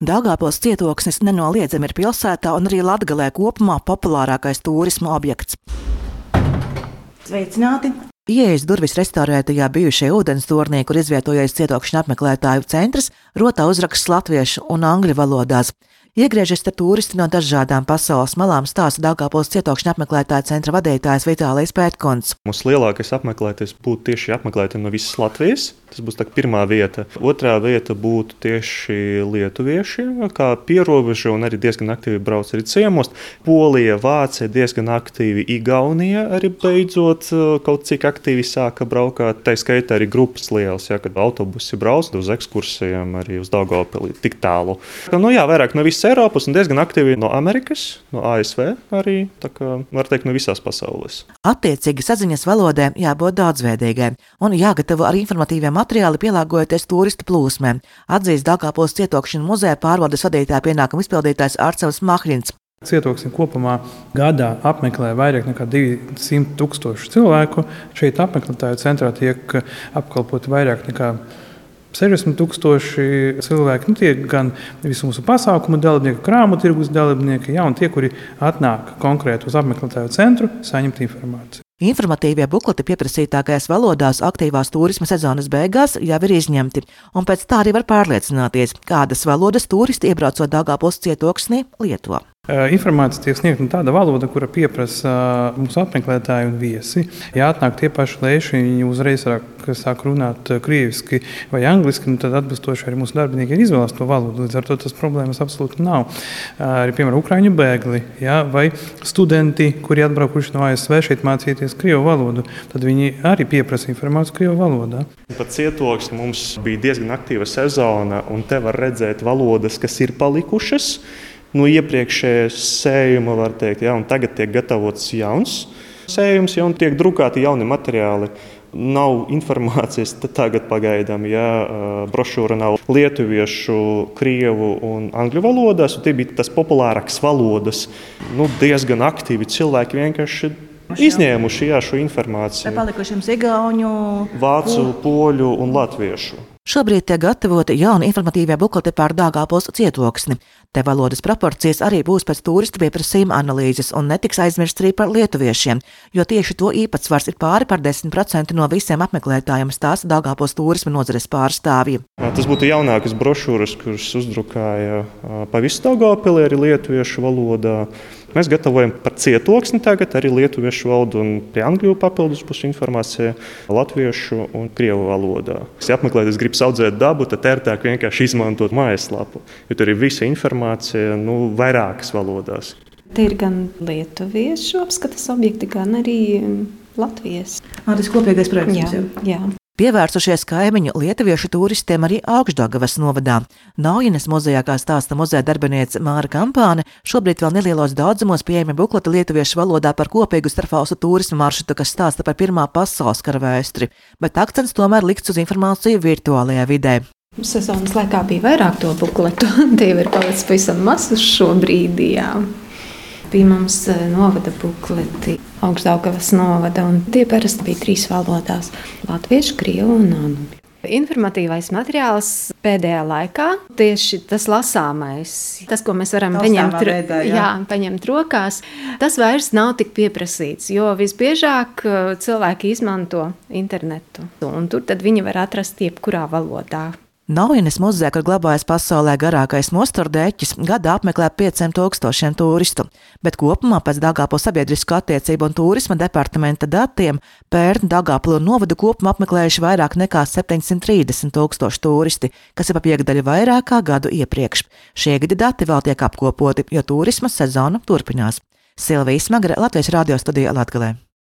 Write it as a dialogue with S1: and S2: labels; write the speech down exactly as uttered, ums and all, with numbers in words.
S1: Daugavpils cietoksnis nenoliedzami ir pilsētā un arī Latgalē kopumā populārākais turisma objekts. Sveicināti! Ieejas durvis restaurētajā bijušajā ūdens tornī, kur izvietojies cietokšņa apmeklētāju centrs, rotā uzraksts latviešu un angļu valodās. Iegriežies te turisti no dažādām pasaules malām, stāsta Daugavpils cietokšņa apmeklētāja centra vadītājs Vitālijs Pētkunds.
S2: Mums lielākais apmeklētājs būtu tieši apmeklētāji no visas Latvijas. Tas būs tā pirmā vieta. Otrā vieta būtu tieši lietuvieši, kā pierobeža un arī diezgan aktīvi brauc arī ciemos. Polija, Vācija diezgan aktīvi, Igaunija arī beidzot kaut cik aktīvi sāka braukāt. Tā skaitā arī grupas lielas, ja, kad autobusi brauc uz ekskursijām arī uz Daugavpili tik tālu. Nu jā, vairāk no visas Eiropas un diezgan aktīvi no Amerikas, no A S V arī, tā kā var teikt no visās pasaules.
S1: Attiecīgi saziņas valodē jābūt daudzveidīgai un jāgatavo arī informatīvie materiāli pielāgojoties turistu plūsmēm, atzīst Daugavpils cietokšņa muzeja pārvaldes vadītāja pienākumu izpildītājs Arcevs Mahļins.
S3: Cietoksni kopumā gadā apmeklē vairāk nekā divsimt tūkstoši cilvēku. Šeit apmeklētāju centrā tiek apkalpoti vairāk nekā sešdesmit tūkstoši cilvēki. Nu, tie gan visu mūsu pasākumu dalībnieki, krāmu tirgus dalībnieki, ja, un tie, kuri atnāk konkrēti uz apmeklētāju centru, saņemt informāciju.
S1: Informatīvie bukleti pieprasītākajās valodās aktīvās turisma sezonas beigās jau ir izņemti, un pēc tā arī var pārliecināties, kādas valodas turisti iebraucot Daugavpils cietoksnī lieto.
S3: Informācija tiek sniegta tāda valoda, kura pieprasa mūsu apmeklētāji un viesi. Ja atnāk tie paši lēši, viņi uzreiz sāk runāt krieviski vai angliski, tad atbilstoši arī mūsu darbinieki ir izvēlēs to valodu. Līdz ar to tas problēmas absolūti nav. Arī, piemēram, ukraiņu bēgli, ja, vai studenti, kuri atbraukuši no A S V šeit mācīties krievu valodu, tad viņi arī pieprasa informāciju krievu valodā.
S2: Pat cietoksni mums bija diezgan aktīva sezona, un te var redzēt valodas, kas ir palikušas. No iepriekšējā sējuma var teikt, ja, un tagad tiek gatavots jauns sējums, ja, un tiek drukāti jauni materiāli. Nav informācijas tagad pagaidām, ja brošūra nav lietuviešu, krievu un angļu valodās, un tie bija tas populārākas valodas. Nu, diezgan aktīvi cilvēki vienkārši izņēmuši jā, šo informāciju.
S1: Palikušiem igauņu,
S2: vācu, poļu un latviešu.
S1: Šobrīd tiek gatavoti jauni informatīvie bukleti par Daugavpils cietoksni. Te valodas proporcijas arī būs pēc turistu pieprasījuma analīzes un netiks aizmirsts arī par lietuviešiem, jo tieši to īpatsvars ir pāri par desmit procenti no visiem apmeklētājiem, stāsta Daugavpils turisma nozares pārstāvji.
S2: Tas būtu jaunākas brošūras, kuras uzdrukāja pa visu Daugavpili arī lietuviešu valodā. Mēs gatavojam par cietoksni tagad arī lietuviešu valodu un pie angļu papildus būs informācija latviešu un krievu valodā. Ja apmeklētājs grib audzēt dabu, tad ērtāk vienkārši izmantot mājaslapu, jo tur ir visa informācija nu, vairākas valodās.
S4: Te ir gan lietuviešu apskates objekti, gan arī Latvijas.
S1: Tas kopīgais projekts.
S4: Jā, jā.
S1: Pievērsušies kaimiņu lietuviešu turistiem arī Augšdaugavas novadā. Naujenes muzejā, kā stāsta muzeja darbiniece Māra Kampāne, šobrīd vēl nelielos daudzumos pieejami bukleti lietuviešu valodā par kopīgu starpvalstu turisma maršrutu, kas stāsta par Pirmā pasaules kara vēsturi, bet akcents tomēr likts uz informāciju virtuālajā vidē.
S4: Sezonas laikā bija vairāk to bukletu, tie ir palicis pavisam maz uz šo brīdi, jā. Bija mums novada bukleti, Augšdaugavas novada, un tie parasti bija trīs valodās – latviešu, krievu un angļu. Informatīvais materiāls pēdējā laikā, tieši tas lasāmais, tas, ko mēs varam paņemt,
S1: veidā, jā.
S4: Jā, paņemt rokās, tas vairs nav tik pieprasīts, jo visbiežāk cilvēki izmanto internetu, un tur tad viņi var atrast jebkurā valodā.
S1: Naujenes muzejā, kur glabājas pasaulē garākais mosturdeķis, gadā apmeklē pieciem tūkstošiem turistu, bet kopumā pēc Daugavpils sabiedrisko attiecību un turisma departamenta datiem pērn Daugavpilu novadu kopumā apmeklējuši vairāk nekā septiņsimt trīsdesmit tūkstoši turisti, kas ir pa piekdaļu vairāk kā gadu iepriekš. Šie gadi dati vēl tiek apkopoti, jo turisma sezona turpinās. Silvija Smagre, Latvijas radio studija Latgalē.